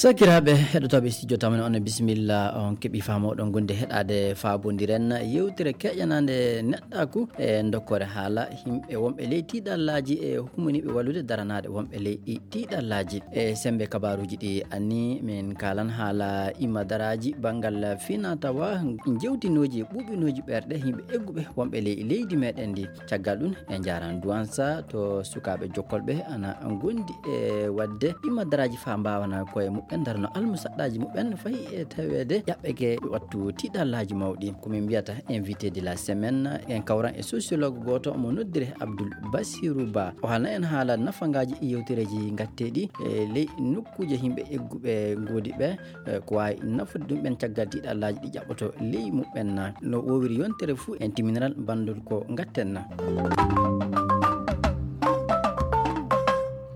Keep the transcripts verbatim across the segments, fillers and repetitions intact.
Sakiraaɓe heɗotooɓe studio tamani, on bisimilla, on keɓi faamoɗon gonde heɗaade faabondiren yewtere keƴanaande neɗɗaaku e dokkore haala yimɓe wonɓe ley tiiɗallaaji e humaniiɓe wallude daranaade wonɓe ley ɗi tiiɗallaaji. E sembe kabaaruuji ɗi anni min kaalan haala imadaraaji banngal finatawa jewtinooji e ɓuuɓinooji ɓerɗe yimɓe egguɓe wonɓe ley leydi meɗen ndi. Caggal ɗum, en njaran Duwansa to sukaaɓe jokkolɓe ana ngondi e waɗde imadaraaji faa mbaawana koye muɓɓen darno almusaɗɗaaji muɓɓen fayi e taweede ƴaɓɓeke wattu tiiɗallaaji mawɗi. Ko min mbiyata invité de la semaine, en kawran e sociologue gooto mo noddire Abdoul Bassirou Ba. O haalna en haala nafangaaji yewtereeji ngatteeɗi e ley nokkuuje yimɓe egguɓe ngoodi ɓe, e ko waawi nafude ɗum ɓen caggal tiiɗallaaji ɗi ƴaɓɓoto ley muɓɓen. No woowiri yontere fuu, en timminal banndol ko ngatten.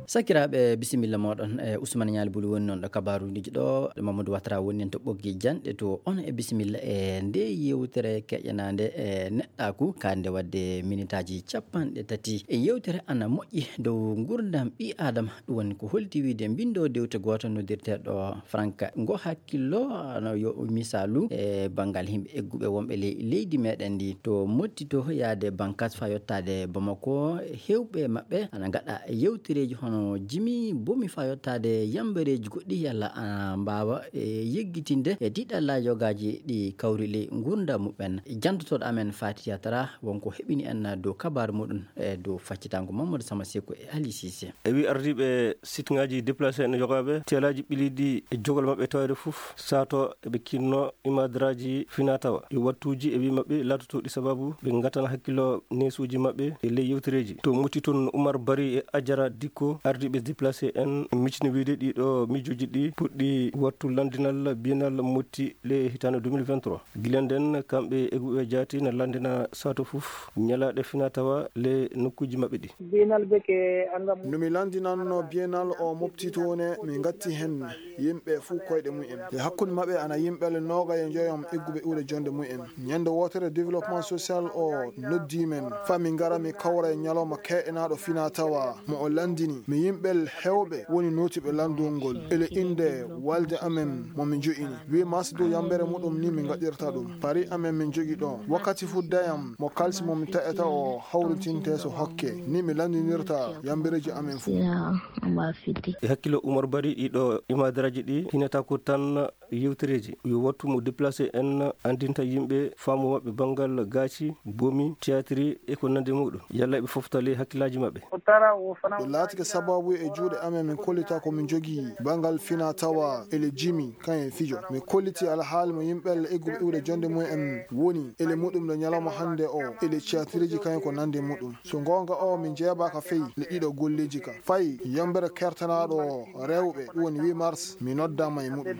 Sakiraaɓe, bisimilla mooɗon. E Ousmane Ñaali Buli woni noon ɗo kabaaruuji ɗo, Mamadou Watara woni en to ɓoggi janɗe to. On e bisimilla e nde yewtere keƴanaande e neɗɗaaku, kaande waɗde minitaaji capanɗe tati. E yewtere ana moƴƴi dow ngurdam ɓii Aadama, ɗum woni ko holti wiide mbindo dewte gooto noddirteeɗo Frank. Ngo hakkillo, no yo misaalu e banngal yimɓe egguɓe wonɓe ley leydi meɗen ndi, to motti to yaade Bankas faa yottaade Bamako, heewɓe maɓɓe ana ngaɗa yewtereeji hono jimi bomi faa yottaade yambareeji goɗɗi yalla ana mbaawa, e, yeggitinde e tiiɗalla yogaaji ɗi kawri ley ngurndan muɓɓen. Janndotooɗo amen Fati Yatara wonko heɓini en dow kabaaru muɗum e dow faccitango Mamadou Sama Seku e Ali Cissé. E wi ardiiɓe sitŋaaji déplacé en yogaaɓe teelaaji ɓiliiɗi e jogol maɓɓe tawde fof sato eɓe kinno imadaraaji finatawa e wattuuji e wi maɓɓe laatotooɗi sababu ɓe ngatana hakkillo neesuuji maɓɓe e ley yewtereeji. To motti toon Oumar Bari e Ajara Dikko ardiiɓe déplacé en micini wiide ɗiɗo miijooji ɗi puɗɗi wattu lanndinal biennal motti le hitaande deux mille vingt-trois. Gila nden, kamɓe egguɓe jaati na lanndina sato fof ñalaaɗe finatawa le nokkuuji maɓɓe ɗi. Biennal beke angam. No mi lanndinanno biennal o mobti toon, mi ngatti hen yimɓe fuu koyɗe mumen. E hakkunde maɓɓe ana yimɓe le noogaye njoyom egguɓe iwde jonde mumen. Ñande wootere développement social o noddi men faa mi ngara mi kawra e ñalawma keɗenaaɗo finatawa mo o lanndini. Mi yimɓe heewɓe woni nootiiɓe lanndol ngol. Ele innde walde amen mo mi jo'ini. Huit mars dow yambere muɗum ni mi ngaɗirta ɗum. Pari amen min jogi ɗo. Wakkati fuddayam mo kalsi mo mi ta'ata o hawritinte so hokke. Ni mi lanndinirta yambereeji amen fuu. Ya, on va fiti. E hakkillo Oumar Bari ɗiɗo imadaraaji ɗi hinata ko tan yewtereeji. Yo wattu mo déplacé en anndinta yimɓe faamu maɓɓe banngal gaaci, bomi, théâtre e ko nanndi muɗum. Yalla ɓe foftale hakkillaaji maɓɓe. Ɗum laatike sababu e juuɗe amen min kollita ko min jogii banngal fina tawa ele jimi kayen fijo. Min kolliti alhaali mo yimɓe egguɓe iwde jonde mumen woni ele muɗum ɗo ñalawma hannde o ele théâtreji kayen ko nanndi muɗum. So goonga o min jeebaaka fey le ɗiɗo golleeji ka. Fay yambere kertanaaɗo rewɓe ɗum woni huit mars mi noddaama e muɗum.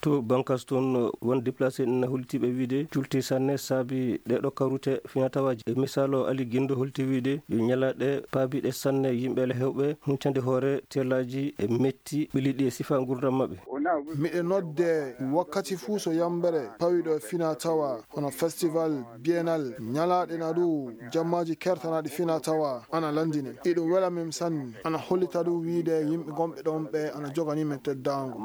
To Bankas toon won déplacé en holtiiɓe wiide culti sanne saabi ɗeɗo kawrute finatawaaji. E misaalo Ali Gindo holti wiide yo ñalaaɗe paabiɗe sanne yimɓe le heewɓe huncande hoore teelaaji e metti ɓiliɗi e sifa ngurdam maɓɓe. Miɗe nodde wakkati fuu so yambere pawiɗo e finatawa hono festival biennal ñalaaɗe na ɗu jammaaji kertanaaɗi finatawa ana lanndine. Iɗum wela min sanne. Ana hollita ɗum wiide yimɓe gonɓe ɗoon ɓe ana joganii min teddaango.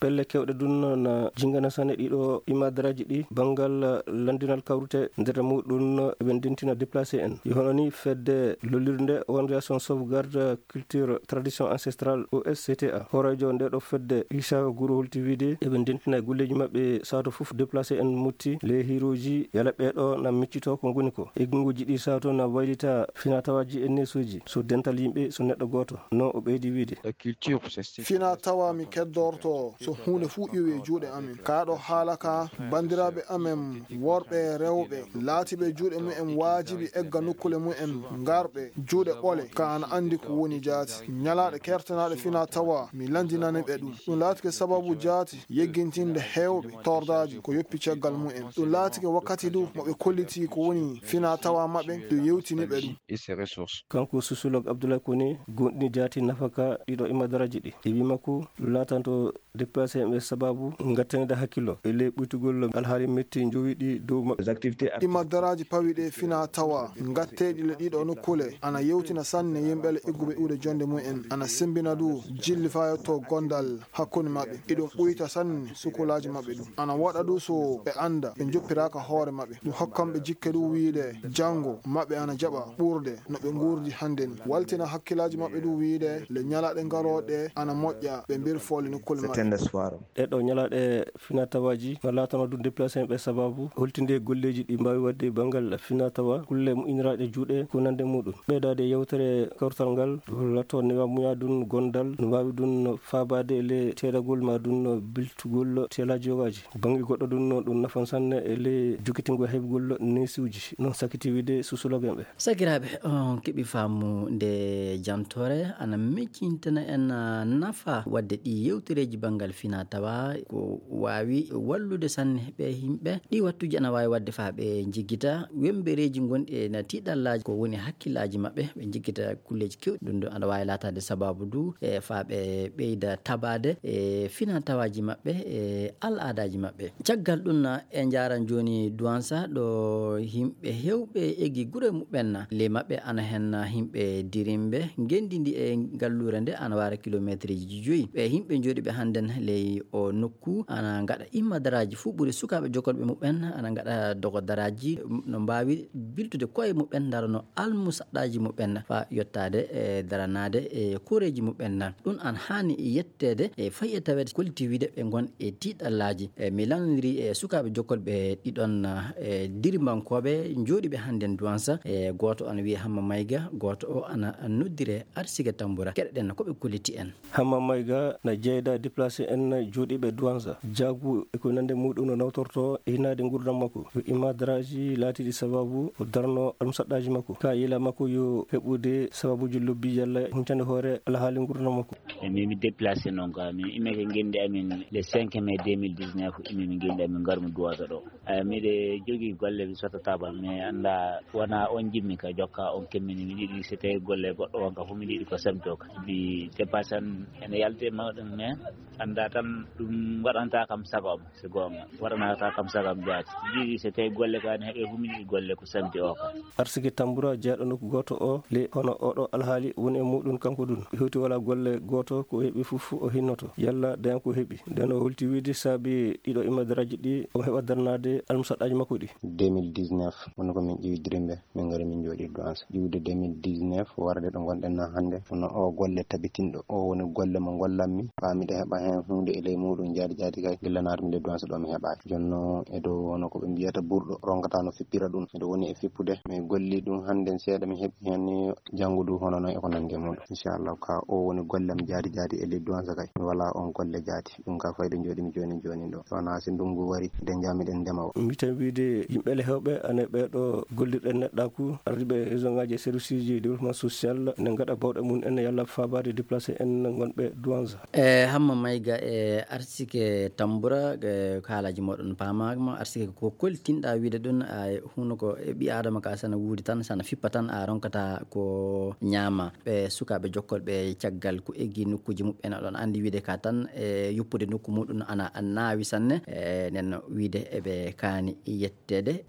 Pelle keewɗe ɗum na jingana sanne ɗiɗo imadaraaji ɗi banngal lanndinal kawrute nder muɗum eɓe ndentina déplacé en. Yo hono ni fedde lollirde Organisation Sauvegarde Culture Tradition Ancestrale O S C T A. Hooreejo nde ɗo fedde Issa Guro holti wiide eɓe ndentina e golleeji maɓɓe sato fof déplacé en mutti le hiirooji yala ɓeeɗo na miccito ko ngoni ko. E gunguji ɗi sato na waylita finatawaaji e neesuuji so dental yimɓe so neɗɗo gooto. No o ɓeydi wiide. La culture, c'est fina tawa mi keddorto so huunde fuu ƴowi e juuɗe amin. Kaa ɗo haala ka, banndiraaɓe amen worɓe e rewɓe laatiiɓe juuɗe mumen waajibi egga nokkule mumen ngarɓe juuɗe ɓole ka ana anndi ko woni jaati. Ñalaaɗe kertanaaɗe fina tawa mi lanndinani ɓe ɗum. Ɗum laatike sababu jaati yeggintinde heewɓe tordaaji ko yoppi caggal mumen. Ɗum laatike wakkati du mo ɓe kolliti ko woni fina tawa maɓɓe ɗum yewtini ɓe ɗum. Et ses ressources. Kanko sociologue Abdoulaye Koné gonɗini jaati nafaka ɗiɗo imadaraaji ɗi. E wi makko ɗum laatanto Déplacé en ɓe sababu ngattande hakkillo e ley ɓuytugol alhaali metti jowiɗi dow maɓɓe. Imma daraaji pawiiɗi e fina tawa ngatteeɗi le ɗiɗo nokkuule ana yewtina sanne yimɓe le egguɓe iwde jonde mum en, ana sembina du jilli faa yotto gondal hakkunde maɓɓe. Iɗum ɓuyta sanne sukulaaji maɓɓe ɗum. Ana waɗa du so ɓe annda ɓe njoppiraaka hoore maɓɓe. Ɗum hokkan ɓe jikke du wiide janngo maɓɓe ana jaɓa ɓurde no ɓe nguurdi hannden. Waltina hakkilaaji maɓɓe du wiide le ñalaaɗe ngarooɗe ana moƴƴa ɓe mbirfoole nokkuule maɓɓe. Ɗee ɗoo ñalaaɗe finatawaaji no laatano du déplacé en ɓe sababu holtinde golleeji ɗi mbaawi waɗde banngal finatawa, kulle moƴƴiniraaɗe juuɗe ko nande muɗum. Ɓeydaade yewtere kawtal ngal, lato newa muya dun gondal, no mbaawi dun faabaade e le teelagol ma dun biltugol teelaaji yogaaji. Bannge goɗɗo dun no ɗum nafan sanne e le jokkitingol heɓgol neesuuji, non sakiti wiide susulogen ɓe. Sakiraaɓe, on keɓi faamu nde jantoore ana miccintana en, ah, nafa waɗde ɗi yewtereeji banngal fina tawa ko waawi wallude sanne ɓe yimɓe. Ɗi wattuuji ana waawi waɗde faa ɓe njiggita wembereeji gonɗi e na tiiɗallaaji ko woni hakkillaaji maɓɓe, ɓe njiggita kulleeji keewɗi. Ɗum ɗo ana waawi laataade sababu du e faa ɓe ɓeyda tabaade e fina tawaaji maɓɓe e al'aadaaji maɓɓe. Caggal ɗum, e njaaran jooni Duwansa ɗo yimɓe heewɓe eggi gure muɓɓen. Ley maɓɓe ana hen yimɓe dirimɓe. Ngenndi ndi e ngalluure nde ana waara kilomeeterji joyi. Ɓe yimɓe jooɗiiɓe hannden ley o nokku ana ngaɗa imma daraaji fuu ɓuri sukaaɓe jokkolɓe muɓɓen ana ngaɗa dogo daraaji no mbaawi biltude koye muɓɓen, ndarano almusaɗɗaaji muɓɓen faa yottaade e daranaade e koreeji muɓɓen. Ɗum ana haani yetteede e fayi e taweede kolliti wiide ɓe ngon e tiiɗallaaji. E mi lanndiri e sukaaɓe jokkolɓe ɗiɗon, e dirimbankooɓe jooɗiiɓe hannden Duwansa. E gooto ana wiyee Hamma Mayga, gooto o ana noddire Arsike Tambura. Keɗoɗen ko ɓe kolliti en. Hamma Mayga na jeyda déplacé en jooɗiiɓe Duwansa. Jaagu e ko nande muɗum no nawtorto e hinaade ngurdam makko. Yo imma daraaji laatiiɗi sababu o darno almusaɗɗaaji makko. Ka yila makko yo heɓude sababuji lobbi yalla huncande hoore alhaali ngurdam makko. E min mi déplacé noon ka min immike ngenndi amin le cinq mai deux mille dix-neuf, immi mi ngenndi amin ngarmi Duwansa ɗo. Ay, miɗe jogii golle mi sotta tabal, mais annda wona on jimmi ka jokka on kemmini. Miɗo yiɗi so tawi golle goɗɗo on ka fof miɗo yiɗi ko semto ka. Bi dépasse an ene yalti e mawɗum, mais annda tan ɗum waɗanta kam sago am, so goonga. Waɗanata kam sago am jaati. Miɗo yiɗi so tawi golle ka ne heɓe fof miɗo yiɗi golle ko semti o ka. Arsike Tambura jeyɗo nokku gooto o le hono oɗo alhaali woni e muɗum kanko ɗum. Hewti wala golle gooto ko heɓi fof o hinnoto. Yalla daña ko heɓi. Nden o holti wiide saabi ɗiɗo imma daraaji ɗi, omo heɓa darnaade almusaɗɗaaji makko ɗi. Deux mille dix-neuf, woni ko min ƴiwi dirimɓe, min ngari min jooɗi Duwansa. Ƴiwde deux mille dix-neuf, warde ɗo ngonɗen na hannde, kono o golle tabitinɗo, o woni golle mo ngollanmi, faa miɗa heɓa heen huunde e ley muɗum, jaadi jaadi kay, gilla naatmi nde Duwansa ɗo mi heɓaaki. Jonno e dow hono ko ɓe mbiyata burɗo, ronkata no fippira ɗum. Miɗo woni e fippude, mi golli ɗum hannden seeɗa, mi heɓi heen ni janngo du hono noon e ko nanndi e muɗum. Inchallah, ka o woni gollem jaadi jaadi e ley Duwansa kay. Mi wala on golle jaadi. Ɗum ka fayde jooɗimi jooni jooni ɗo. Wona si ndungu wari, eɗen njaha miɗen ndema o. Mi tan wiide yimɓe le heewɓe ane ɓee ɗo gollirɗe neɗɗaaku, ardiiɓe région ngaji e service uji développement social ne ngaɗa bawɗe mum en yalla faabaade déplacé en ngonɓe Duwansa. E Hamma Mayga e Arsike Tambura, e haalaaji mooɗon paamaama. Arsike, ko koltinɗa wiide ɗum, a huno ko e ɓi Aadama ka sana wuuri tan, sana fippa tan, a ronkata ko ñaama. Ɓe sukaaɓe jokkolɓe caggal ko eggi nokkuuji muɓɓen, oɗon anndi wiide ka tan e yoppude nokku muɗum ana naawi sanne, e nen wiide eɓe kaani yetteede.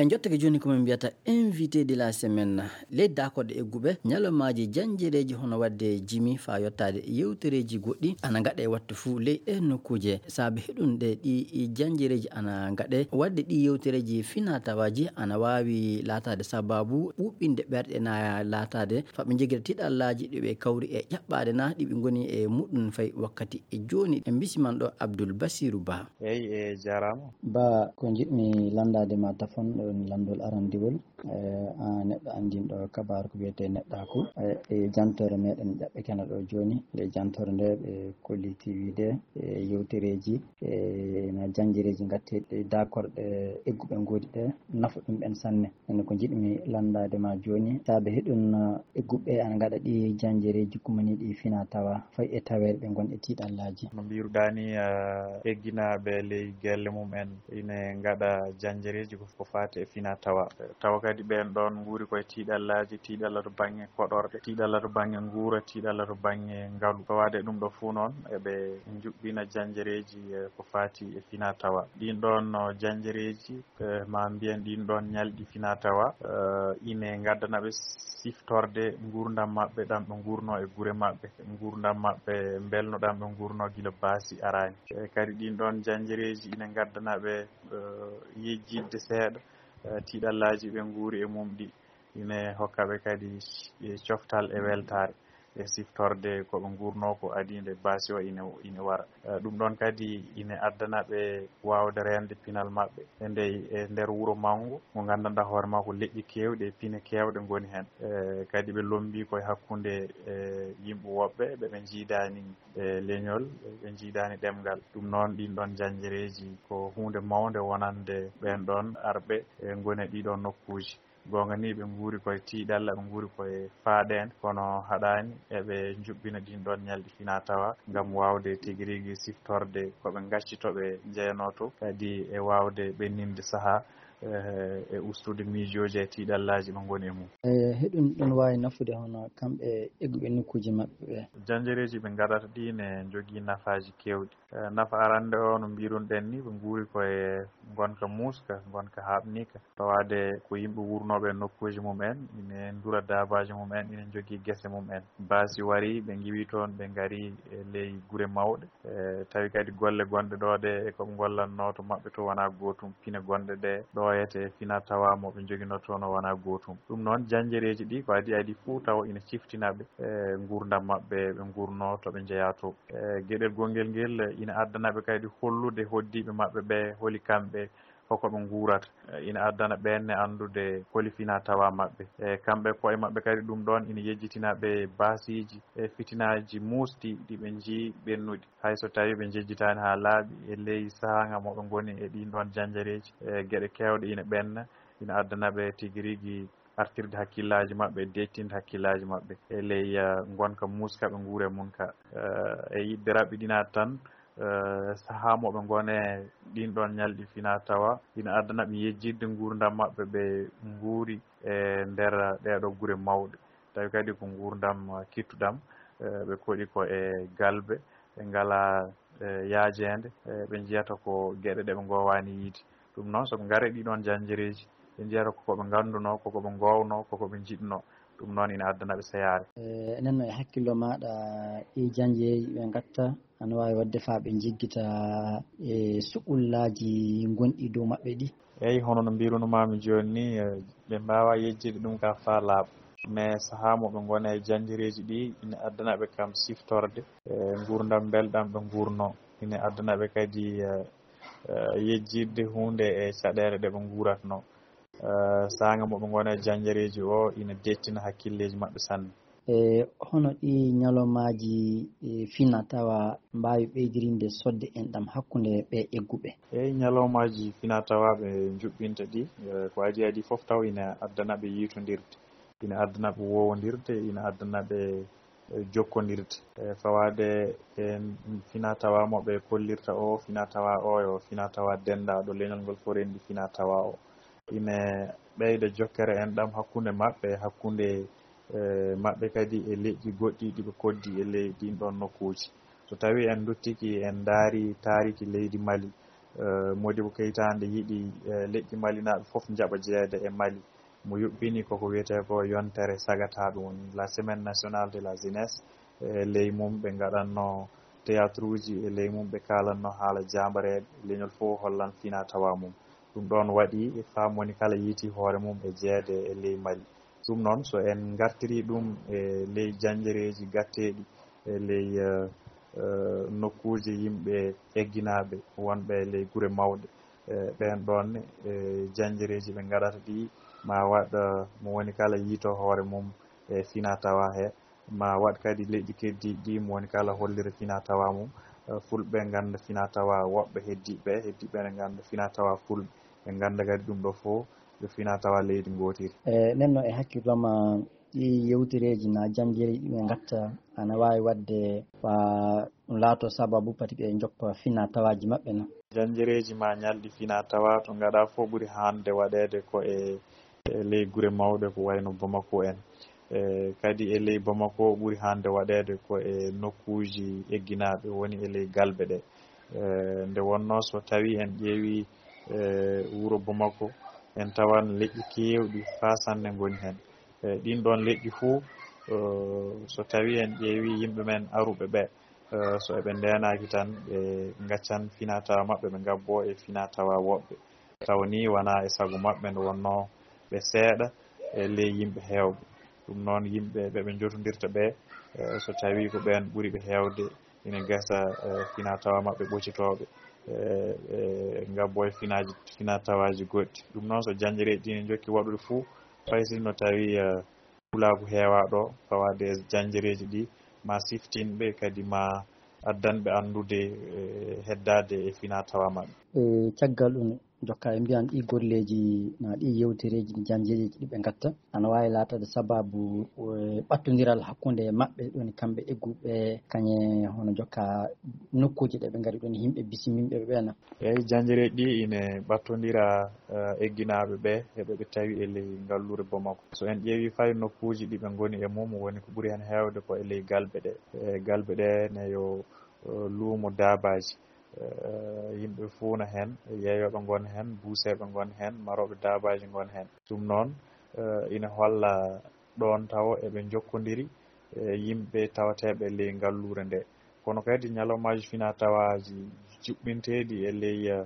En jottake jooni ko min mbiyata invité de la semaine. Ley daakorɗe egguɓe, ñalawmaaji janjereeji hono waɗde jimi faa yottaade yewtereeji goɗɗi ana ngaɗe wattu fuu ley ɗee nokkuuje. Saabe heɗunde ɗi janjereeji ana ngaɗe, waɗde ɗi yewtereeji fina tawaaji ana waawi laataade sababu ɓuuɓɓinde ɓerɗe na laataade faa ɓe njogita tiiɗallaaji ɗi ɓe kawri e ƴaɓɓaade na ɗi ɓe ngoni e muɗum fay wakkati e jooni. En mbisiman ɗo Abdul Basiru Ba. Eey, e jaaraama. Ba, ko njiɗmi lanndaade ma tafon ɗon lanndol arandiwol. Eh, aan neɗɗo anndinɗo kabaaru ko wiyetee neɗɗaaku. Eh, e jantoore meɗen ƴaɓɓe kene ɗo jooni, nde jantoore nde ɓe kolliti wiide, e yewtereeji, e na janjereeji ngatteeɗi daakorɗe egguɓe ngoodi ɗe, nafa ɗum ɓen sanne. Ene ko njiɗmi lanndaade ma jooni, saabe heɗun, eh, egguɓe ana ngaɗa ɗi janjereeji kumaniiɗi fina tawa, fay e taweede ɓe ngon e tiiɗallaaji. No mbiruɗaa ni, eh, egginaaɓe ley gelle mum en ine ngaɗa janjereeji ko, ko faati e fina tawa. Tawa Kadi ɓeen ɗoon nguuri koye tiiɗallaaji, tiiɗalla to baŋnge koɗorɗe, tiiɗalla to baŋnge nguura, tiiɗalla to baŋnge ngalu. Fawaade e ɗum ɗo fuu noon, eɓe njuɓɓina jañjereeji e ko faati e finaa-tawaa. Ɗiin ɗoon, no, jañjereeji, eh, maa mbiyen ɗiin ɗoon ñalɗi finaa-tawaa, eh, ine ngaddana ɓe siftorde nguurndam maɓɓe ɗam ɓe nguurnoo e gure maɓɓe, nguurndam maɓɓe mbelno ɗam ɓe nguurnoo gila baasi araani. Eh, kadi ɗiin ɗoon jañjereeji ine ngaddana ɓe, eh, yejjitde seeɗa, eh, tiiɗallaaji ɓe nguuri e mum ɗi. Ine hokka ɓe kadi, eh, coftal e weltaare e siftorde ko ɓe nguurnoo ko adii nde baasi o ine, ine wara. Eh, ɗum ɗoon kadi ine addana ɓe waawde reende pinal maɓɓe e ndey, e nder wuro mawngo ngo nganndanɗaa hoore maa ko leƴƴi keewɗi e pine keewɗe ngoni heen. Eh, kadi ɓe lommbii ko e hakkunde, eh, yimɓe woɓɓe ɓe ɓe njiidaani, eh, leñol, ɓe njiidaani ɗemngal. Ɗum noon, ɗiin ɗoon jañjereeji ko huunde mawnde wonande ɓeen ɗoon arɓe, eh, ngoni e ɗii ɗoon nokkuuji. Goonga ni, ɓe nguuri koye tiiɗalla, ɓe nguuri koye faaɗeende, kono haɗaani eɓe njuɓɓina ɗiin ɗoon ñalɗi finaa-tawaa ngam waawde tigi rigi siftorde ko ɓe ngacci to ɓe njeyanoo to, kadi e waawde ɓenninde sahaa, eh, e ustude miijooji e tiiɗallaaji ɓe ngoni e mum. E heɗun ɗon waawi nafude hono kamɓe egguɓe nokkuuji maɓɓe ɓe. Jañjereeji ɓe ngaɗata ɗi ne njogii nafaaji keewɗi. Eh, nafa arannde o, no mbiiruɗen ni, ɓe nguuri ko e ngonka muuska, ngonka haaɓniika. Tawaade ko yimɓe wuurnooɓe e nokkuuji mum en, ine ndura daabaaji mum en, ine njogii gese mum en. Baasi wari, ɓe ngiwi toon, ɓe ngari e ley gure mawɗe. Eh, tawi kadi golle gonɗe ɗo ɗe, e ko ɓe ngollatnoo to maɓɓe to wonaa gootum. Pine gonɗe ɗe ɗooyete e finaa-tawaa mo ɓe njoginoo toon o wonaa gootum. Ɗum noon, jañjereeji ɗi ko adii adii fuu taw ina ciftina ɓe, eh, nguurndam maɓɓe, ɓe nguurnoo to ɓe njeyaa to. Eh, geɗel gongel ngel, eh, ina addana ɓe kadi hollude hoɗdiiɓe maɓɓe ɓe holi kamɓe, hoko ɓe nguurata. Eh, ina addana ɓeen ne anndude holi finaa-tawaa maɓɓe. Eh, kamɓe koye maɓɓe kadi ɗum ɗoon ina yejjitina ɓe baasiiji e fitinaaji muusɗi ɗi ɓe njii ɓennuɗi. Hay so tawii ɓe njejjitaani haa laaɓi e ley sahaa nga mo ɓe ngoni e ɗiin ɗoon jañjereeji, eh, geɗe keewɗe ina ɓenna, ina addana ɓe tigi rigi artirde hakkillaaji maɓɓe, deeƴtinde hakkillaaji maɓɓe e ley, eh, ngonka muuska ɓe nguuri e mum ka. Eh, e yiɗde raɓɓiɗinaade tan, eh, sahaa mo ɓe ngoni e ɗiin ɗoon ñalɗi finaa-tawaa, ina addana ɓe yejjitde nguurndam maɓɓe, ɓe nguuri e nder ɗee ɗoo gure mawɗe. Tawi kadi ko nguurndam, eh, kittuɗam, eh, ɓe koɗi ko e galbe, ɓe ngalaa, eh, yaajeende, eh, ɓe njiyata ko geɗe ɗe ɓe ngoowaani yiyde. Ɗum noon, so ɓe ngarii ɗii ɗoon jañjereeji, ɓe njiyata ko ko ɓe nganndunoo, ko ko ɓe ngoownoo, ko ko ɓe njiɗnoo. Ɗum noon ina addana ɓe seyaare. Eh, enen no e hakkillo maaɗa, ɗii jañjereeji ɓe ngatta, ana waawi waɗde faa ɓe njiggita e suɓullaaji gonɗi dow maɓɓe ɗi? Eey, hono no mbiiruno-maa-mi jooni ni, eh, ɓe mbaawaa yejjitde ɗum ka faa laaɓa. Mais sahaa mo ɓe ngoni e jañjereeji ɗi, ina addana ɓe kam siftorde, eh, nguurndam mbelɗam ɓe nguurnoo. Ina addana ɓe kadi, eh, eh, yejjitde huunde e caɗeele ɗe ɓe nguuratnoo. Eh, saanga mo ɓe ngoni e jañjereeji o, ina deeƴtina hakkilleeji maɓɓe sanne. E hono ɗi ñalawmaaji, e, finaa-tawaa mbaawi ɓeydirinde sodde enɗam hakkunde ɓe egguɓe? Eey, ñalawmaaji finaa-tawaa ɓe njuɓɓinta ɗi, eh, ko adii adii fof taw ina addana ɓe yiitondirde, ina addana ɓe woowondirde, ina addana ɓe, eh, jokkondirde. Eh, fawaade e finaa-tawaa mo ɓe kollirta o, finaa-tawaa o yo finaa-tawaa denndaaɗo leñol ngol fof renndi finaa-tawaa o. Ine ɓeyda jokkere enɗam hakkunde maɓɓe, hakkunde, eh, maɓɓe kadi e leƴƴi goɗɗi ɗi ɓe koɗdi e ley ɗiin ɗoon nokkuuji. So tawii en nduttike, en ndaari taariki leydi Mali, eh, Modibo Keïta nde yiɗi, eh, leƴƴi malinaaɓe fof njaɓa jeyeede e Mali. Mo yuɓɓini ko ko wiyetee ko yontere sagataaɓe, woni la semaine nationale de la jeunesse. E ley mum ɓe ngaɗatnoo théâtre uji, e ley mum ɓe kaalatnoo haala jaambareeɓe, leñol fof hollan finaa-tawaa mum. Ɗum ɗoon waɗi faa mo woni kala yiiti hoore mum e jeyeede e ley Mali. Ɗum noon, so en ngartirii ɗum e ley jañjereeji gatteeɗi, e ley, eh, eh, nokkuuje yimɓe egginaaɓe wonɓe e ley gure mawɗe, eh, ɓeen ɗoon, eh, jañjereeji ɓe ngaɗata ɗi, ma waɗ, eh, mo woni kala yiito hoore mum e finaa-tawaa he, ma waɗ kadi leƴƴi keddiiɗi ɗi, mo woni kala hollira finaa-tawaa mum. Eh, Fulɓe ngannda finaa-tawaa woɓɓe heddiiɓe, heddiiɓe ne ngannda finaa-tawaa Fulɓe. Ɓe ngannda kadi ɗum ɗo fof ko finaa-tawaa leydi ngootiri. E nden noon, e hakkillo ma, ɗi yewtereeji na jañjereeji ɗi ɓe ngatta ana waawi waɗde faa ɗum laatoo sababu pati ɓe njoppa finaa-tawaaji maɓɓe na? Jañjereeji ma ñalɗi finaa-tawaa to ngaɗaa fof ɓuri haande waɗeede ko e e ley gure mawɗe ko wayno Bamako en. E kadi e ley Bamako ɓuri hannde waɗeede ko e nokkuuji egginaaɓe woni e ley galɓe ɗe. E nde wonnoo so tawii en ƴeewii e wuro Bamako, en tawan leƴƴi keewɗi faa sanne ngoni heen. E ɗiin ɗoon leƴƴi fuu, e, so tawii en ƴeewii yimɓe men aruɓe ɓe, e, so eɓe ndeenaaki tan, ɓe ngaccan finaa-tawaa maɓɓe, ɓe ngabboo e finaa-tawaa woɓɓe. Tawa nii wanaa e sago maɓɓe nde wonnoo ɓe seeɗa e ley yimɓe heewɓe. Ɗum noon yimɓe ɓe ɓe njotondirta ɓe, e, so tawii ko ɓeen ɓuri ɓe heewde, ina gasa, e, finaa-tawaa maɓɓe ɓocitooɓe, e, e, ngabboo e finaaji, finaa-tawaaji goɗɗi. Ɗum noon so janjereeji ɗi ne njokki waɗude fuu, fay si no tawii, e, pulaagu heewaa ɗo, fawaade e janjereeji ɗi, ma siftin ɓe, kadi ma addan ɓe anndude, e, heddaade e finaa-tawaa maɓɓe. E caggal ɗum, jokka e mbiyan ɗi golleeji, na ɗi yewtereeji, ɗi janjereeji ɗi ɓe ngatta, ana waawi laataade sabaabu, e, ɓattondiral hakkunde maɓɓe, ɗum woni kamɓe egguɓe, kañe hono jokka nokkuuji ɗe ɓe ngari ɗum, yimɓe bisimiiɓe ɓe ɓe na. Eeyi, janjereeji ɗi ine ɓattondira, eh, egginaaɓe ɓe e ɓe ɓe tawi e ley ngalluure Bamako. So en ƴeewii fay nokkuuji ɗi ɓe ngoni e mum, woni ko ɓuri heen heewde ko e ley galɓe ɗe. E galɓe ɗe ne yo, eh, luumo daabaaji. Eh, yimɓe fuu na heen, yeeyooɓe ngon heen, buuseeɓe ngon heen, marooɓe daabaaji ngon heen. Ɗum noon, eh, ina holla ɗoon tawo eɓe njokkondiri e yimɓe tawateeɓe ley ngalluure nde. Kono kadi ñalawmaaji finaa-tawaaji juɓɓinteeɗi e ley, eh,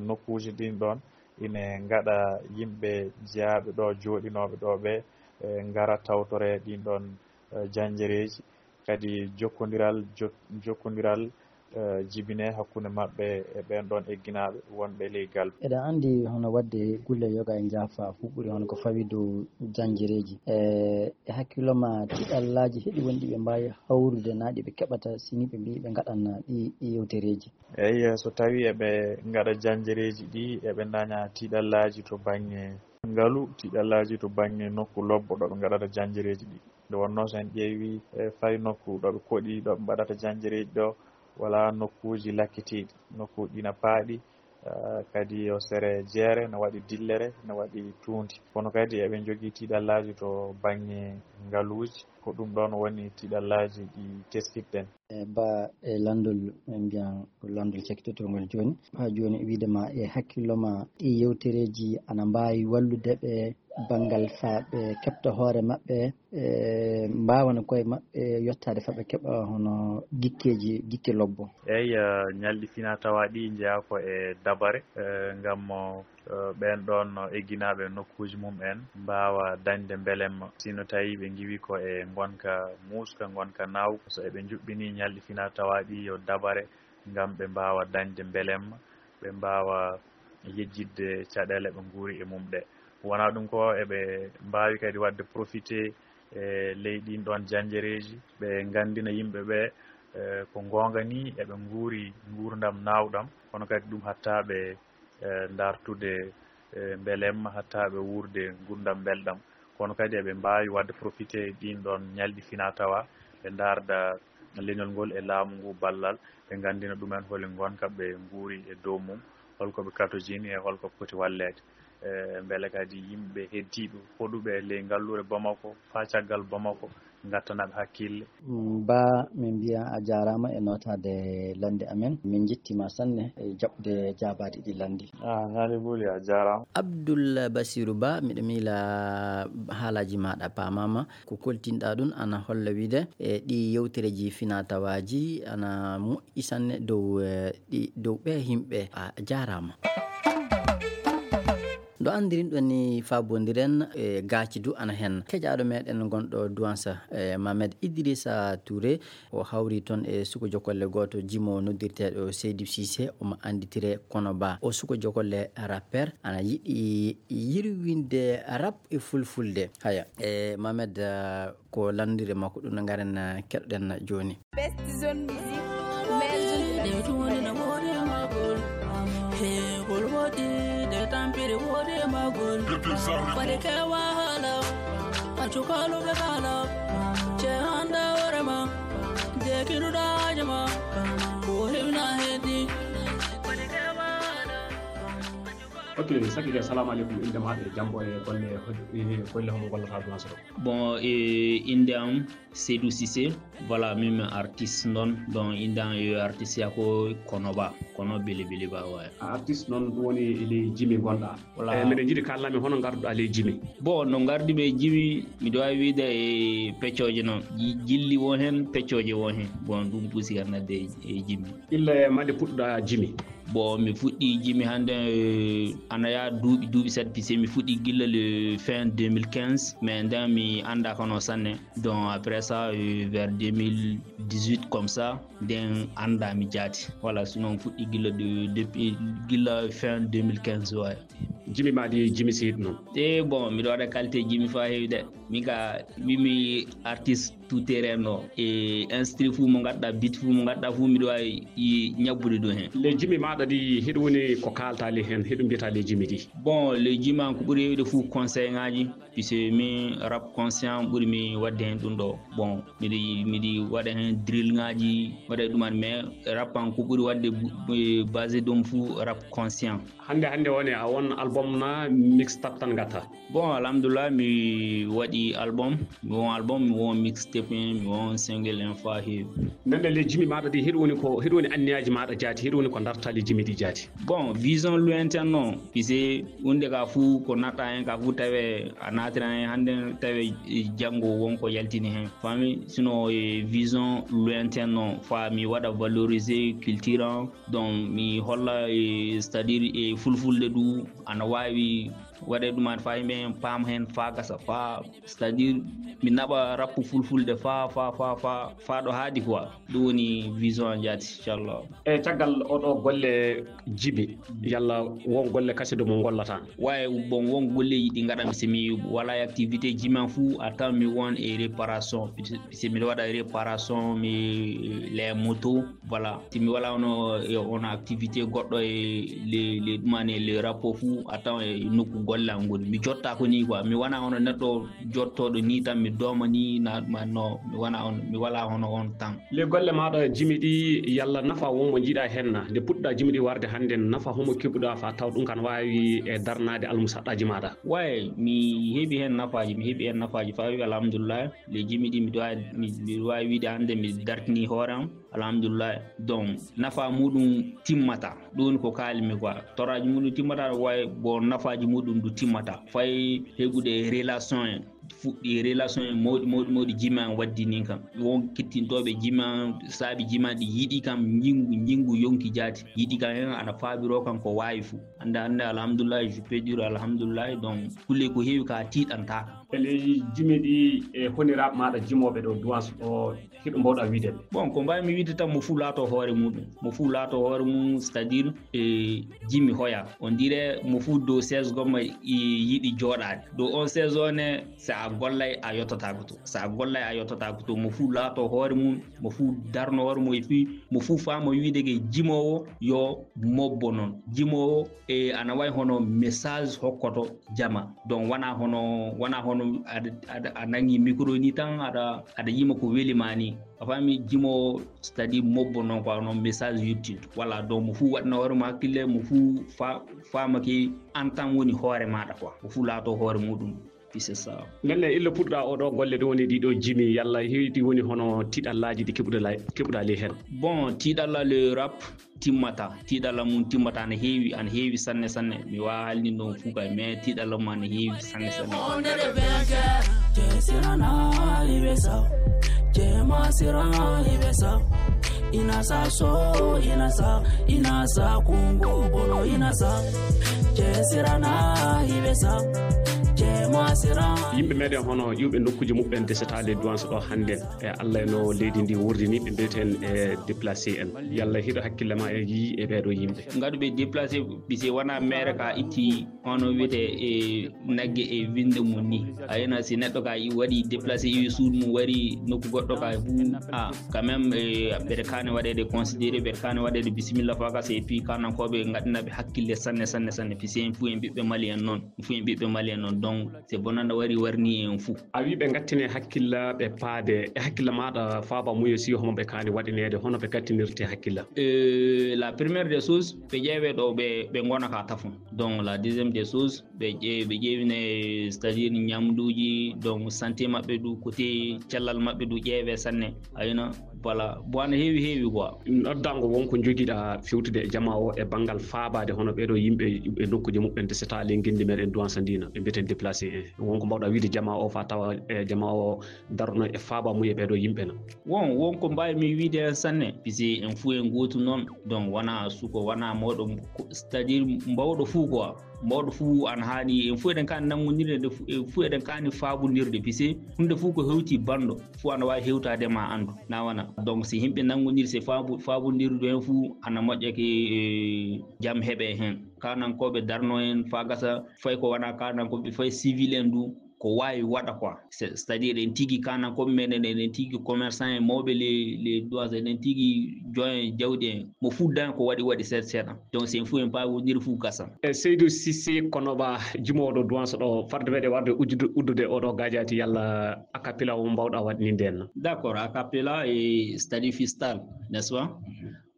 nokkuuji ɗin ɗoon ine ngaɗa yimɓe jeyaaɓe ɗo, jooɗinooɓe ɗo ɓe, eh, ngara tawtore ɗin ɗoon, eh, janjereeji. Kadi jokkondiral, jo-, jokkondiral, eh, jibinee hakkunde maɓɓe e ɓeen ɗoon egginaaɓe wonɓe ley galɓe. Eɗen anndi hono waɗde gulle yoga e njaafa fof ɓuri hono ko fawi dow janjereeji. E, e hakkillo ma, tiiɗallaaji heɗi wonɗi ɓe mbaawi hawrude naa ɗi ɓe keɓata si ni ɓe mbii ɓe ngaɗan ɗi, ɗi yewtereeji? Eyi, so tawii eɓe ngaɗa janjereeji ɗi, eɓe ndaña tiiɗallaaji to baŋŋe ngalu, tiiɗallaaji to baŋŋe nokku lobbo ɗo ɓe ngaɗata janjereeji ɗi. Nde wonnoo so en ƴeewii, e, fay nokku ɗo ɓe koɗi, ɗo ɓe mbaɗata janjereeji ɗo, wala nokkuuji lakkitiiɗi, nokkuuji ɗi na paaɗi, eh, kadi yo sere jeere, no waɗi dillere, no waɗi tuundi. Kono kadi eɓe njogii tiiɗallaaji to baŋŋe ngaluuji, ko ɗum ɗoon woni tiiɗallaaji ɗi teskitɗen. E ba e lanndol, en mbiyan ko lanndol cakkitotoo ngol jooni. Haa jooni, wiide ma e hakkillo ma, ɗi yewtereeji ana mbaawi wallude ɓe banngal faa ɓe keɓta hoore maɓɓe, e mbaawana koye maɓɓe yottaade faa ɓe keɓa hono gikkeeji, gikke lobbo? Eey, eh, ñalɗi finaa-tawaa ɗi njeyaa ko e dabare, eh, ngam mo, eh, ɓeen ɗoon egginaaɓe nokkuuji mum en mbaawa dañde mbelemma. Si no tawi ɓe ngiwi ko e ngonka muuska, ngonka naawka, so eɓe njuɓɓini ñalɗi finaa-tawaa ɗi yo dabare ngam ɓe mbaawa dañde mbelemma, ɓe mbaawa yejjitde caɗeele ɓe nguuri e mum ɗe. Wonaa ɗum ko, eɓe mbaawi kadi waɗde profité e ley ɗiin ɗoon janjereeji, ɓe nganndina yimɓe ɓe, e, ko ngoonga ni eɓe nguuri nguurndam naawɗam, kono kadi ɗum haɗtaa ɓe, e, ndartude, e, mbelemma, haɗtaa ɓe wuurde nguurndam mbelɗam. Kono kadi eɓe mbaawi waɗde profité e ɗiin ɗoon ñalɗi finaa-tawaa, ɓe ndaarda leñol ngol e laamu ngu ballal, ɓe nganndina ɗumen holi ngonka ɓe nguuri e dow mum, holko ɓe katojini e holko ɓe poti walleede. E, mbele kadi yimɓe heddiiɓe hoɗuɓe e ley ngalluure Bamako, faa caggal Bamako, ngattana ɓe hakkille. Mm, Ba, min mbiya a jaaraama e nootaade lannde amen. Min njettii ma sanne e jaɓde jaabaade ɗi lannde. Ah, Naali Buli, a jaaraama. Abdul Basiru Ba, miɗo miila haalaaji maaɗa paamaama. Ko koltinɗaa ɗum ana holla wiide, e, ɗi yewtereeji finaa-tawaaji ana moƴƴi sanne dow, e, ɗi, dow ɓee yimɓe. A jaaraama. Nde anndirin ɗon ni, faabondiren, e, gaaci du ana heen. Keƴaaɗo meɗen gonɗo Duwansa, e, Mamed Idrissa Touré, o hawri toon e suko jokolle gooto jimo noddirteeɗo Seydou Cissé, omo annditire kono Ba. O suko jokolle rappeur, ana yiɗi yirwinde rap e fulfulde. Haya, e, Mamed, ah, ko lanndire makko ɗum no ngaren, ah, keɗoɗen jooni. Best zone music, meilleure zone music. He, gol woɗi, de tampiri woɗi magol. Fade ke wahala, a cukalu be kala. Ce handa warema, de kinuda jama. Ko himna hedi. Fade ke wahala. Ok, Saki Dia, salamu aleykum. Innde maaɗa e jambo e golle, e golle homo gollata Duwanso ɗo? Bon, e innde am, Seydou Cissé. Voilà, min mi artiste noon. Donc, innde am e artiste ya ko Kono Ba, Kono Bili Bili Ba, ouais. A artiste noon, ɗum woni e ley jimi ngonɗa. Voilà. Eh, miɗen njiɗi kaalnaa min hono ngarduɗa ley jimi? Bon, no ngardi-mi e jimi, miɗo waawi wiide e peccooje noon. Ji-, jilli won heen, peccooje won heen. Bon, ɗum pusi kam nadde e, e jimi. Illa e mande puɗɗuɗa jimi? Bon, mi fuɗɗi jimi hannde, eh, ana yaha duuɓi, duuɓi seeɗa, puisque mi fuɗɗi gilla le fin deux mille quinze, mais nden mi anndaa kono sanne. Donc, après ça, eh, vers deux mille dix-huit comme ça, nden anndaa mi jaati. Voilà, sinon fuɗɗi gilla de, depuis, gilla fin deux mille quinze, ouais. Jimi ma ɗi, jimi si hiɗ noon? E bon, miɗo waɗa qualité jimi faa heewi de. Min ka, mi, mi artiste tout terrain no. E instru fuu mo ngadda, beat fuu mo ngadda fuu, miɗo waawi i-, ñabbude ɗum heen. Le jimi maaɗa ɗi, hiɗum woni ko kaalta le heen, hiɗum mbiyata le jimi ɗi? Bon, le jimi am ko ɓuri heewde fuu conseil ŋaaji, puisque min rap conscient ɓuri mi waɗde heen ɗum ɗo. Bon, miɗi, miɗi waɗa heen drill ŋaaji, waɗa ɗum an, mais rap am ko ɓuri waɗde bu-, bu-, basé ɗum fuu rap conscient. Hannde, hannde woni a won album na mixtape tan ngatta? Bon, alhamdulillah, mi waɗi album, mi won album, mi won mixtape en, mi won single en faa heewi. Nden le jimi maaɗa ɗi, hiɗum woni ko, hiɗum woni anniyaaji maaɗa jaati, hiɗum woni ko darta le jimi ɗi jaati? Bon, vision lointaine noon, puisque huunde ka fuu ko natta heen ka fuu tawe a naatira heen hannde, tawe janngo won ko yaltini heen. Faami? Sinon, e vision lointaine noon, faa mi waɗa valoriser culture am, donc mi holla, e, c'est-à-dire, e fulfulde du, ana waawi waɗe ɗum an faa yimɓe heen paam heen faa gasa, faa, c'est-à-dire, mi naɓa rap fulfulde faa, faa, faa, faa, faa ɗo haadi quoi. Ɗum woni vision am jaati, inchallah. E caggal oɗo golle jimi, yalla won golle kase ɗo mo ngollata? Waye, bon, won golleji ɗi ngaɗami si mi wala activité jimi am fuu, a tawan mi won e réparation. Si miɗo waɗa réparation, mi les motos, voilà. Si mi wala ono, e ono activité goɗɗo e le, le ɗumani e le rapport fuu, a tawan e nokku golle am ngoni. Mi jotta ko ni quoi. Mi wana ono neɗɗo jottooɗo ni tan, mi dooma ni, na, ma, no, mi wana on, mi wala hono on tan. Le golle maaɗa jimi ɗi, yalla nafa won mo njiɗa heen na? Nde puɗɗa jimi ɗi warde hannde, nafa homo keɓuɗa faa taw ɗum kan waawi e darnaade almusaɗɗaaji maaɗa? Waye, mi heɓi heen nafaaji, mi heɓi heen nafaaji faa wi alhamdulillah. Le jimi ɗi miɗo waawi, mi, miɗo waawi wiide hannde mi dartini hoore am. Alhamdulillah. Donc, nafa muɗum timmata. Ɗum woni ko kaalmi quoi. Toraaji muɗum timmata, way bon nafaaji muɗum du timmata. Fay heɓude relation en. Fuɗɗi relation en mawɗi, mawɗi, mawɗi jimi an waddi nin kam. Won kettintooɓe jimi an, saabi jimi an ɗi yiɗi kam, njingu, njingu yonki jaati. Yiɗi kam hen ana faabiroo kam ko waawi fu. Hannde, hannde, alhamdulillah, je peux dire alhamdulillah. Donc, kulle ko heewi ka tiiɗantaaka. E ley jimi ɗi, e honiraaɓe maaɗa jimooɓe ɗo Duwanso ɗo, hiɗo mbawɗa wiide ɓe? Bon, ko mbaawmi wiide tan, mo fuu laato hoore muɗum. Mo fuu laato hoore mum, c'est-à-dire, e jimi hoya. On dirait mo fuu dow chaise gomma i-, yiɗi jooɗaade. Dow on chaise o ne, si a gollay, a yottotaako to. Si a gollay, a yottotaako to. Mo fuu laato hoore mum, mo fuu darno hoore mum, e fii, mo fuu faama wiide ke jimoowo yo mobbo noon. Jimoowo, e ana wayi hono message hokkoto jama. Donc, wana hono, wana hono aɗa, aɗa, a nangi micro ni tan, aɗa, aɗa yima ko weli ma ni. A faami, jimo, c'est-à-dire mobbo noon quoi, hono message utile. Voilà, donc mo fuu waɗna hoore mo hakkille, mo fuu fa-, faama ke an tan woni hoore maaɗa quoi. Mo fuu laato hoore muɗum. Puis c'est ça. Ndelle, illa puɗɗa oɗo golle ɗo woni ɗiɗo jimi, yalla heewti woni hono tiɗallaaji ɗi keɓuɗa la-, keɓuɗa ley heen? Bon, tiɗalla le rap, timmata. Tiiɗalla mum timmata, ana heewi, ana heewi sanne, sanne. Mi waawaa haalnin ɗum fuu kay, mais tiiɗalla mum ana heewi sanne, sanne. Yimɓe meɗen hono iwɓe nokkuuji muɓɓen desetaali Duwanso ɗo hannden. E Allah no leydi ndi wurdini, ɓe mbiyeten e déplacé en. Yalla hiɗo hakkille ma e yii e ɓeeɗo yimɓe? Ngaɗuɓe déplacé, bise wona maire ka itti hono wiyete e nagge e winde mum ni. A yina si neɗɗo ka i waɗi déplacé, iwi suudu mum, wari nokku goɗɗo ka fu, a, quand même, e, ɓeɗe kaani waɗede considéré, ɓeɗe kaani waɗede bisimilla fa ka, et puis kanankooɓe ngaɗanaɓe hakkille sanne, sanne, sanne, puisque en fu en ɓiɓɓe Mali en noon. Fu en ɓiɓɓe Mali en noon. Donc, C'est bonanda wari warni en fou. A wi ɓe gattine hakkilla ɓe paade e hakkilla maɗa faaba muye si homo ɓe kaani waɗineede hono ɓe gattinirte hakkilla? Euh, la première des choses, ɓe ƴeewe ɗo ɓe ɓe gona ka tafon. Donc la deuxième des choses, ɓe ƴe- ɓe ƴeewine, c'est-à-dire ñamduuji, donc santé maɓɓe du, côté cellal maɓɓe du ƴeewe sanne. Ayna, voilà, bon, ana heewi heewi quoi. Noddango wonko jogiɗa fewtude e jama o e banngal faabaade hono ɓeɗo yimɓe e nokkuji muɓɓen de seta le ngenndi meɗen duwansa ndina ɓe mbiyeten déplacé en, wonko mbawɗa wiide jama o fa tawa e jama o darno e faaba mum e ɓeɗo yimɓe na? Won wonko mbawmi wiide en sanne, pisi en fuu en gootu noon. Donc wona suko wona mawɗo, c'est-à-dire mbawɗo fuu quoi. Mawɗo fuu ana haani, en fuu eɗen kaani nanngondirde, nde fu- en fuu eɗen kaani faabondirde, pise huunde fuu ko hewti banndo fuu ana waawi hewtaade ma anndu, na wona? Donc si yimɓe nanngondiri, si faabu- faabondirdu heen fuu ana moƴƴa ke, eh, jam heɓe heen. Kaanankooɓe darno heen faa gasa, fay ko wona kaanankooɓe, fay civil en du, ko waawi waɗa quoi. C'est- c'est-à-dire en tigi kaanankooɓe meɗen, en tigi commerçant en, mawɓe les les douanes, en tigi joint jawdi en, mo fuddan ko waɗi waɗi seeɗa seeɗa. Donc si en fuu en paawondiri fuu gasa. E Seydou Cissé Konoba, jimooɗo duwanso ɗo, farde meɗe warde uddude uddude oɗo gajati, yalla a cappella o mbawɗa waɗninde en? D'accord, a cappella e stadi fistal, n'est-ce pas?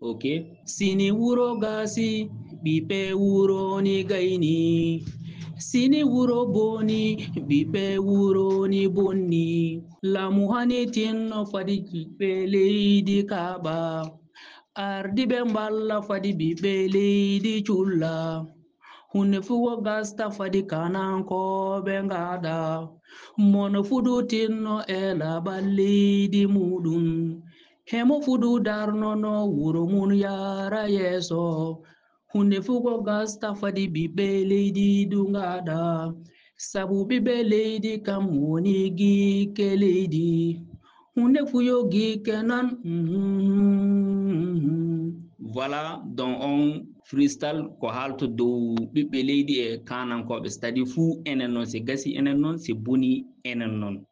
Ok. Sini wuro gasi, ɓiɓɓe wuro ni gayni. Sini wuro boni, ɓiɓɓe wuro ni bonni. Lamu hani tinno fadi ɓiɓɓe leydi kaɓa. Ardiɓe mballa fadi ɓiɓɓe leydi culla. Hunde fuu ko gasta fadi kanankooɓe ngaɗa. Mono fuɗutinno e laɓal leydi muɗum. Hemo fuɗu darnono wuro mum yaara yeeso. Hunde fuu ko gasta fadi ɓiɓɓe leydi du ngaɗa. Sabu ɓiɓɓe leydi kam woni gikke leydi. Hunde fuu yo gikke nan. Mhm. Voilà, donc on freestyle ko haalto dow ɓiɓɓe leydi e kaanankooɓe, c'est-à-dire fuu enen noon, si gasi enen noon, si boni enen noon.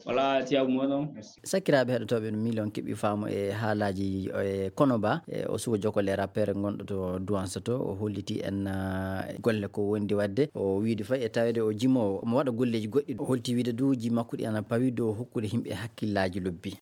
Voilà, Thiaw Mono. Sakiraaɓe heɗotooɓe, no miilon keɓi faamu e haalaaji e Konoba, e o suka jokole rappeur gonɗo to Duwansa to, o holliti en, ah, golle ko wondi waɗde. O wiidi fay e taweede o jimoowo, omo waɗa golleeji goɗɗi. O holti wiide du ji makko ɗi ana pawi dow hokkude yimɓe hakkillaaji lobbi.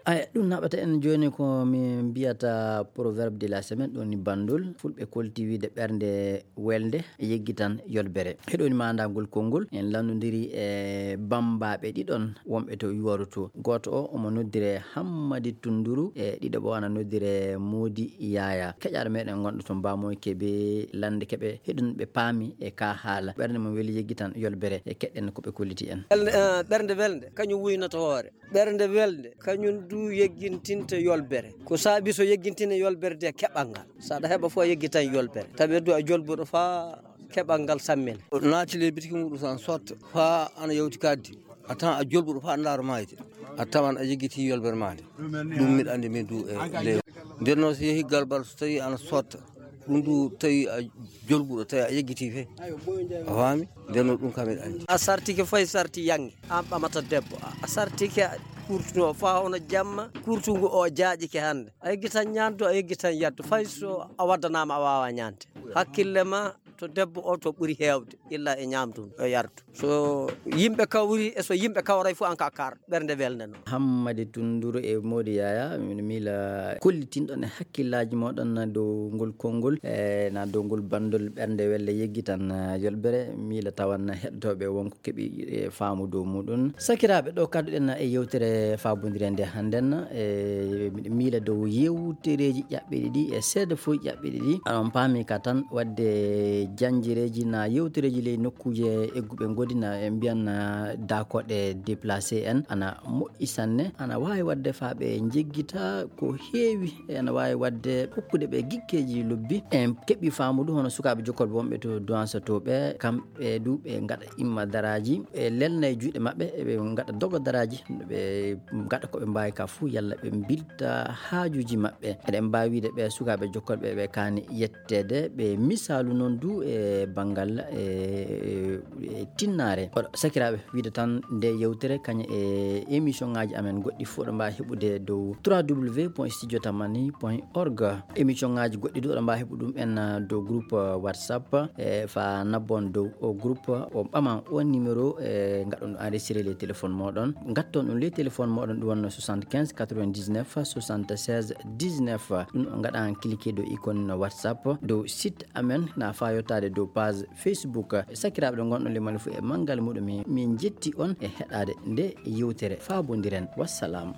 Aya, ɗum naɓata en jooni ko min mbiyata proverbe de la semaine, ɗum woni banndol. Fulɓe kolti wiide ɓernde welde yeggitan yolbere. Heɗoni maandagol konngol, en lanndondiri e bammbaaɓe ɗiɗon wonɓe to Yuwaru to. Gooto o omo noddire Hammadi Tunduru, e ɗiɗo o ana noddire Moodi Yaaya. Keƴaaɗo meɗen gonɗo to Mbaamoy Kebe, lande keɓe heɗun ɓe paami e ka haala. Ɓernde mum weli yeggitan yolbere, e keɗɗen ko ɓe kolliti en. Ɓernde, eh, ɓernde welde, kañum wuynata hoore. Ɓernde welde, kañum du yeggintinta yolbere. Ko saabi so yeggintina yolbere de keɓal ngal. So aɗa heɓa fof a yeggitan yolbere. Tawi du a jolbuɗo faa keɓal ngal sammina. Naati le bitiki muɗum so an sotta faa ana yawti kaddi. A tawan a jolbuɗo faa ndaaro maayde. A tawan a yeggiti yolbere maade. Ɗum miɗa anndi min du e ley. Nden noon so yehi galbal so tawi ana sotta. Ɗum du tawi a jolbuɗo tawi a yeggiti fe. A faami? Nden noon ɗum kam miɗa anndi. A sartike fay sarti yange. An ɓamata debbo. A sartike kurtuno faa hono jamma. Kurtungu o jaaƴike hannde. A yeggitan ñaandu, a yeggitan yaddu. Fay so a waddanaama a waawa ñaande. Hakkille ma to debbo o to ɓuri heewde. Illa e ñaamdu o yardu. So yimɓe kawri e so yimɓe kawray fof an ka kar ɓernde welde noon. Hammadi Tunduru e Moodi Yaaya, min miila kollitinɗon e hakkillaaji mooɗon na dow ngol konngol, e na dow ngol banndol ɓernde welde yeggitan, eh, yolbere, miila tawan heɗotooɓe wonko keɓi, eh, faamu dow muɗum. Sakiraaɓe, ɗo kadduɗen e yewtere faabondire nde hannden, e miɗo miila dow yewtereeji ƴaɓɓiɗi ɗi e seeɗa fof ƴaɓɓiɗi ɗi. Aɗon paami ka tan waɗde janjireeji na yewtereeji ley nokkuuje egguɓe ngodi na e mbiyan na daakoɗe déplacé en ana moƴƴi sanne, ana waawi waɗde faa ɓe njeggita ko heewi, e ana waawi waɗde hokkude ɓe gikkeeji lobbi. En keɓi faamudu hono sukaaɓe jokkolɓe wonɓe to Duwansa to ɓe, kamɓe du ɓe ngaɗa imma daraaji, ɓe lelna e juuɗe maɓɓe, ɓe ngaɗa dogo daraaji, ɓe ngaɗa ko ɓe mbaawi ka fuu, yalla ɓe mbilta haajuuji maɓɓe. Eɗen mbaawi wiide ɓe sukaaɓe jokkolɓe ɓe kaani yetteede, ɓe misaalu noon du e banngal e e tinnaare. Oɗo sakiraaɓe, wiide tan nde yewtere kañe e émission ngaji amen goɗɗi fof ɗo mbawi heɓude dow trois w point studio tamani point org. Émission ngaji goɗɗi du oɗo mbawi heɓu ɗum en dow groupe WhatsApp, e fa nabbon dow o groupe, o ɓaman o numéro, e gaɗon enregistré les téléphones moɗon, gatton ɗum les téléphones moɗon, ɗum wonno soixante-quinze quatre-vingt-dix-neuf soixante-seize dix-neuf. Ɗum o gaɗan cliquer dow icône WhatsApp dow site amen na fa yottade dow page Facebook. Sakiraaɓe ɗo ngonɗon le mali fof e manngal muɗum, min jetti on e heɗade nde yewtere. Fabondiren, wassalam.